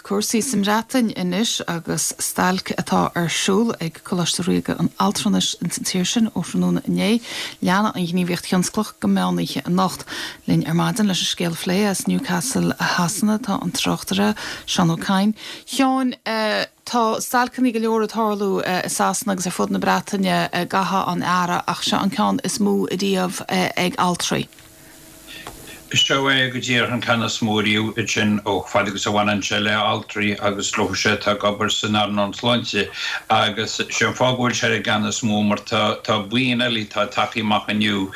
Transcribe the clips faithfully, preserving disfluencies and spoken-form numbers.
Cúrsaí sa mBreatain anois agus stailc atá ar siúl ag Coláiste Ríoga an Altranais in san tír sin ó thráthnóna inné. Leanfaidh an ghníomhaíocht thionsclach go meánoíche anocht. Linn ar maidin leis an scéal a phlé as Newcastle Shasana tá an tráchtaire Seán Ó Cadhain. Sheáin uh, Tá stailceanna go leor ag tarlú i Sasana agus ar fud na Breataine i gcaitheamh an earraigh ach seo an ceann is mó riamh ag altraí. Seo é go díreach an ceann is mó riamh sin ó fad agus a bhaineann sé le altraí agus leo seo atá ag obair san earnáil sláinte agus sé an fáth go bhfuil sé ar an gceann is mó mar tá tá buíon eile atá tagtha amach inniu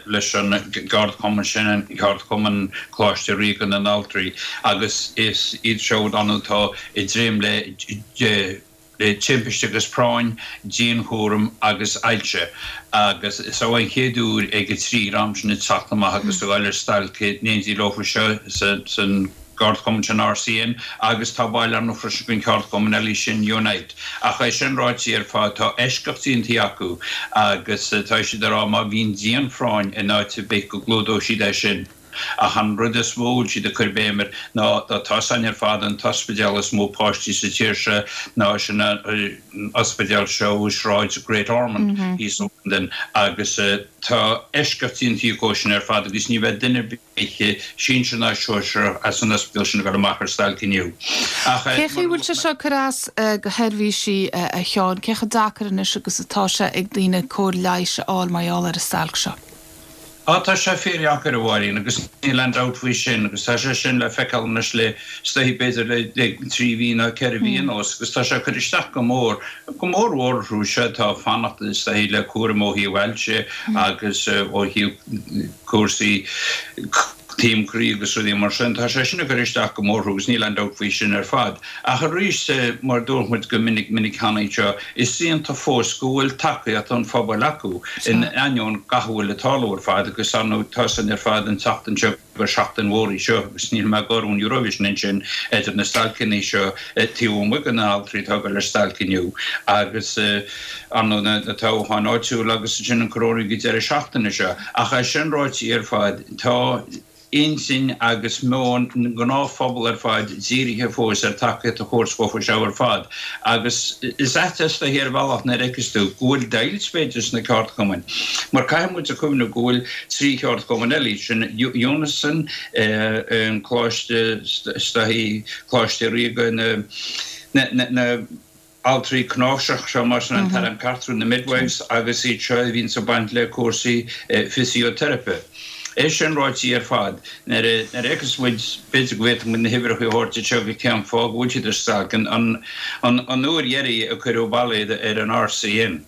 leis an gceardchumann sin an ceardchumann Coláiste Ríoga na nAltraí agus is iad seo atá i dréim le le timpiste agus práinn, dianchúram agus ailse agus is é an chéad uair ag an trí dhream sin ag teacht amach agus ag dul ar stailc in éindí leofa seo san gceardchumann sin RCN agus tá baill ann freisin den cheardchumann eile sin Unite. Ach é sin ráite ar fad tá eisceacht déanta acu agus tá siad ag rá má bhíonn dianphráinn in áit ar bith go gclúdóidh siad é sin. Ach an rud is mó a bhfuil siad ag cur béim air ná tá san ar fad an t-ospidéal is mó páistí sa tír seo ná sin an ospidéal seo i Sráid Great Ormond thíos i Londain agus tá eisceacht déanta acu sin ar fad agus ní bheidh duine ar bith sinsir ná sóisear as an ospidéal sin ag dul amach ar stailc inniu. Ach Cé chaoi bhfuil sé seo ag cur as do sheirbhísí a Sheáin? Cé chomh deacair anois agus atá sé ag daoine cóir leighis a fháil mar gheall ar an stailc seo? Á, tá sé fíordheacair, a Mháirín, agus níl aon dabht faoi sin, agus tá sé sin le feiceáil anois le, is dóichí, b'fhéidir le, le trí mhí nó ceithre mhí anuas, agus tá sé ag cur isteach go mór, go mór mhór orthu seo atá ag fanacht, is dóichí, le cúram ó thaobh ailse agus ó thaobh cúrsaí taom croí agus rudaí mar sin. Tá sé sin ag cur isteach go mór orthu agus níl aon dabht faoi sin ar fad. Ach arís, mar a dúirt muid go minic minic cheana anseo, is iontach fós go bhfuil tacaíocht an phobail acu, in ainneoin gach a bhfuil ag tarlú ar fad agus ar ndóigh tá san ar fad an tseachtain seo gur seachtain mhór í seo agus níl mé ag gáire ón Eurovision ansin idir na stailceanna seo taobh amuigh de na haltraí atá ag dul ar stailc inniu agus ar ndóigh na toghcháin áitiúla agus ansin an coróinniú ag an deireadh seachtaine seo. Ach é sin ráite ar fad, tá intinn agus meon na ngnáthphobal ar fad dírithe fós ar tacaíocht a thabhairt dhófa seo ar fad. Agus is ait is dóichí ar bhealach nuair a fheiceas tú go bhfuil deighilt b'fhéidir sna ceardchumainn. Mar caithfidh muid a chuimhneamh go bhfuil trí cheardchumann eile, sin Unison, an Coláiste, is dóichí Coláiste Ríoga na, na, na, altraí cnáimhseach seo mar sin an t-ainm ceart orthu, na midwives agus iad seo a bhíonns ag baint le cúrsaí fisioteiripe. É sin ráite ar fad, nuair a fheiceas muid, b'fhéidir go bhféadfadh muid na huimhreacha a thabhairt anseo go cén fáth go bhfuil siad ar stailc, an uair dheiridh a cuireadh bailéad ar an RCN,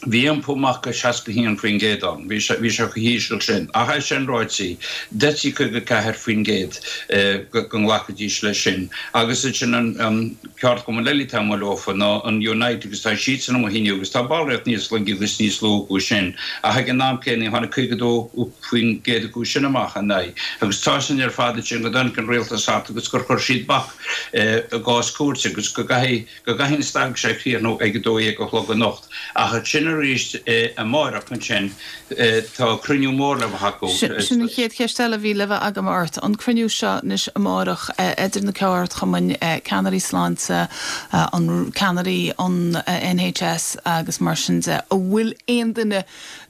Bhí iompú amach go seasca a haon faoin gcéad ann. Bhí sé bhí sé chomh híseal sin. Ach é sin ráite, deirtí caoga ceathair faoin gcéad go nglacfaidís leis sin. Agus ansin an an ceardchumann eile atá amuigh leofa ná an Unite agus tá siadsan amuigh inniu agus tá ballraíocht níos laige agus níos lú acu sin. Ach ag an am céanna tháinig caoga dó faoin gcéad acu sin amach ina aghaidh. Agus tá sin ar fad ansin go dtáinig an rialtas thart agus gur chuir siad bac i gcás cúirte agus go gcaithfidh go gcaithfidh an stailc seo críochnú ag a dó dhéag a chlog anocht. Ach ansin arís amárach ansin tá cruinniú mór le bheith acu. Sin an chéad cheist eile a bhí le bheith agam ort. An cruinniú seo anois amárach idir na ceardchumainn, ceannairí sláinte, an ceannairí an NHS agus mar sin de, an bhfuil aon duine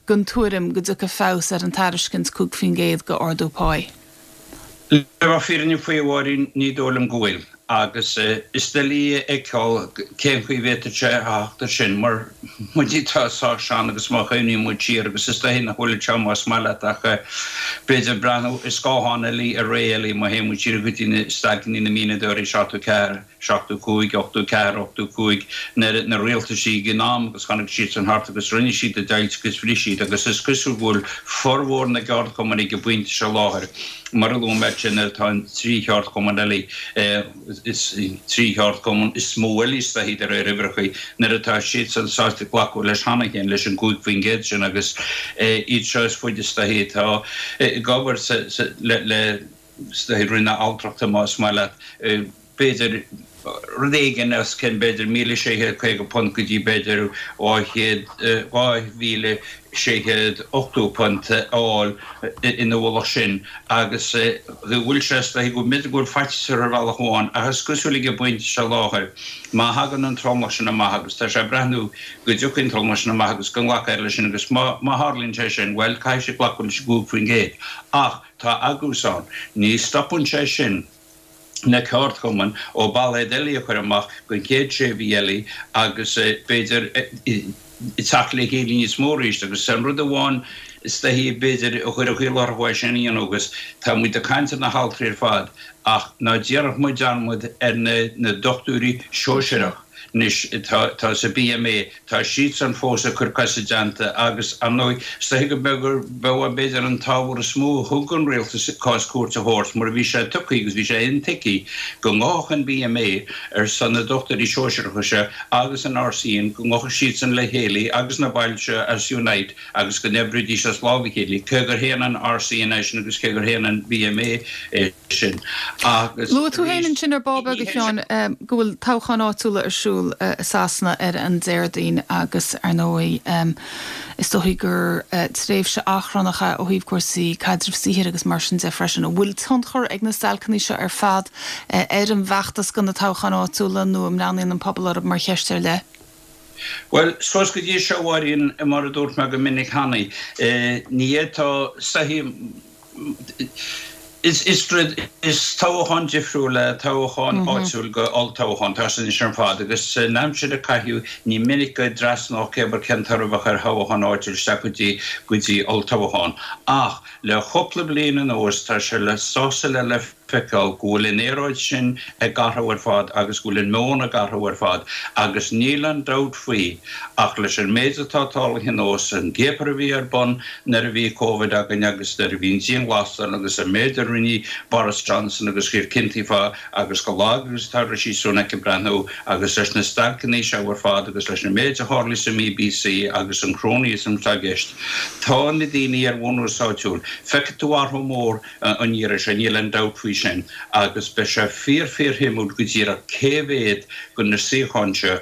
den tuairim go dtiocfaidh feabhas ar an tairiscint cúig faoin gcéad d'ardú páí? Le bheith fírinneach faoi, a Mháirín, ní dóigh liom go bhfuil. Agus is doiligh a fheiceáil cén chaoi a bhféadfadh sé a theacht air sin, mar muid atá sách sean agus má chuimhníonn muid siar, agus is dóichí nach bhfuil anseo más maith leat ach b'fhéidir breathnú i scáthán eile i ré eile, má théann muid siar go dtí na stailceanna na mianadóirí, seachtó ceathair, seachtó cúig, ochtó ceathair, ochtó cúig, nuair na rialtaisí ag an am agus tháinig siadsan thart agus rinne siad a deighilt agus bhris siad agus is cosúil go bhfuil formhór na gceardchumann ag an bpointe seo láthair, Mar a luaigh mé ansin tá an trí cheardchumann eile, is trí cheardchumann is mó eile is dóichí de réir uimhreacha, nuair atá siadsan sásta glacadh leis cheana féin, leis an gcúig faoin gcéad sin agus iad seo is faide is dóichí atá ag obair le, le, is dóichí, Roinn na Altrachta más maith leat. b'fhéidir rud éigin os cionn b'fhéidir míle sé chéad caoga punt go dtí b'fhéidir dhá chéad, dhá mhíle sé chéad ochtó punt a fháil ina mhullach sin agus go bhfuil sé is dóichí go mb'fhéidir go bhfuil faitíos orthu ar bhealach amháin ach is cosúil ag an bpointe seo láthair má thagann an tromlach sin amach agus tá sé ag breathnú go dtiocfaidh an tromlach sin amach agus go nglacfar leis sin agus má má tharlaíonn sé sin bhuel caithfidh siad glacadh leis an gcúig faoin gcéad ach tá agús ann ní stopann sé sin na ceardchumainn ó ballóid eile a chur amach don chéad sé mhí eile agus b'fhéidir teacht le chéile níos mó arís agus an rud amháin is dóichí b'fhéidir a chuirfeadh iallach orthu é sin a dhéanamh agus tá muid ag caint ar na haltraí ar fad ach ná déanfadh muid dearmad ar na dochtúirí sóisearach Anois tá sa BMA, tá siadsan fós ag cur cos i dteannta agus, ar ndóigh, is dóichí go mbeadh gur b'é b'fhéidir an t-ábhar is mó a thug an rialtas cás cúirte a thabhairt mar a bhí sé tugtha agus bhí sé intuigthe go ngabhfadh an BMA ar son na dochtúirí sóisearacha seo agus an RCN, go ngabhfadh siadsan le chéile agus na baill seo as Unite agus go n-oibreoidís as lámh a chéile, cé gur shéan an RCN é sin agus cé gur shéan an BMA é sin agus Luaigh tú féin ansin ar ball beag, a Sheáin, go bhfuil toghcháin áitiúla ar siúl i Sasana ar an Déardaoin agus, ar ndóigh, is dóichí gur tréimhse achrannach é ó thaobh cúrsaí caidrimh saothair agus mar sin de freisin. An bhfuil tionchar ag na stailceanna seo ar fad ar an bhfeachtas do na toghcháin áitiúla nó an mbreathnaíonn an pobal orthu mar cheist ar leith? Bhuel, suas go dtí seo, a Mháirín, mar a dúirt mé go minic cheana, ní fhéadfá saghas, is is toghchán difriúil é toghchán áitiúil go olltoghchán, tá sin anois ar fad, agus san aimsir a caitheadh ní minic go dtrasnódh cé bith cén toradh a bheadh ar thoghchán áitiúil isteach go dtí go dtí olltoghchán. Ach le chúpla bliain anuas tá sé le sásamh le le feiceáil go bhfuil an aeráid sin ag athrú ar fad agus go bhfuil an meon ag athrú ar fad agus níl aon dabht faoi ach leis an méid atá tarlaithe anuas, an ciapadh a bhí ar bun nuair a bhí Covid againn agus nuair a bhí an dianghlasáil agus an méid a rinne Boris Johnson agus chuir cinntí fá agus chomh lag agus atá Rishi Sunak ag breathnú agus leis na stailceanna seo ar fad agus leis an méid a tharlaigh sa mBBC agus an cronyism atá i gceist, tá na daoine ar bhunús áitiúil, feicfidh tú athrú mór an iarraidh seo, níl aon dabht faoi sin, agus beidh sé fíor fíor-shuimiúil go díreach cé mhéad de na suíocháin seo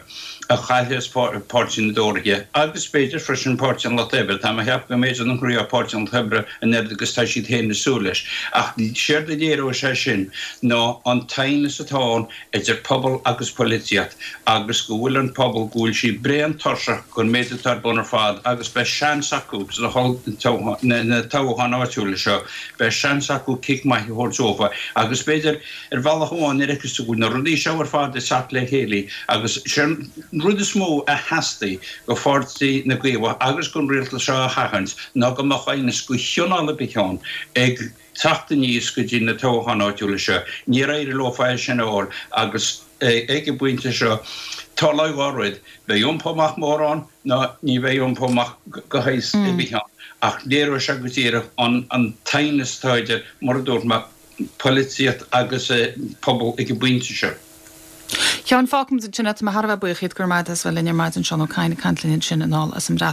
a chaillfeas Páirtí na dTóraithe agus b'fhéidir freisin Páirtí an Lucht Oibre. Tá mé ag ceapadh go mb'fhéidir nach ngnóthóidh Páirtí an Lucht Oibre an oiread agus tá siad féin ag súil leis. Ach séard a léireoidh sé sin ná an t-aighneas atá ann idir pobal agus poilitíocht agus go bhfuil an pobal, go bhfuil siad bréan tuirseach den méid atá ar bun ar fad agus beidh seans acu sna toghcháin áitiúla seo, beidh seans acu cic maith a thabhairt dófa agus b'fhéidir ar bhealach amháin nuair a fheiceas tú go bhfuil na rudaí seo ar fad ag teacht le chéile agus sé an rud is mó a theastaigh go Pháirtí na gCaomhach agus gon rialtas seo a sheachaint ná go mbeadh aighneas go chineál ar bith ann ag teacht aníos go dtí na toghcháin áitiúla seo. Níor éirigh leo é sin a fháil agus ag an bpointe seo tarlóidh dhá rud, beidh iompó amach mór ann nó ní bheidh iompó amach go shaghas ar bith ann ach léireoidh sé go díreach an t-aighneas atá idir, mar a dúirt mé, polaitíocht agus pobal ag an bpointe seo. Sheáin, fágfaimid ansin é. Tá mé thar a bheith buíoch díot go raibh maith agat as bheith linn ar maidin, Seán Ó Cadhain ag caint linn ansin anall as an mBreatain.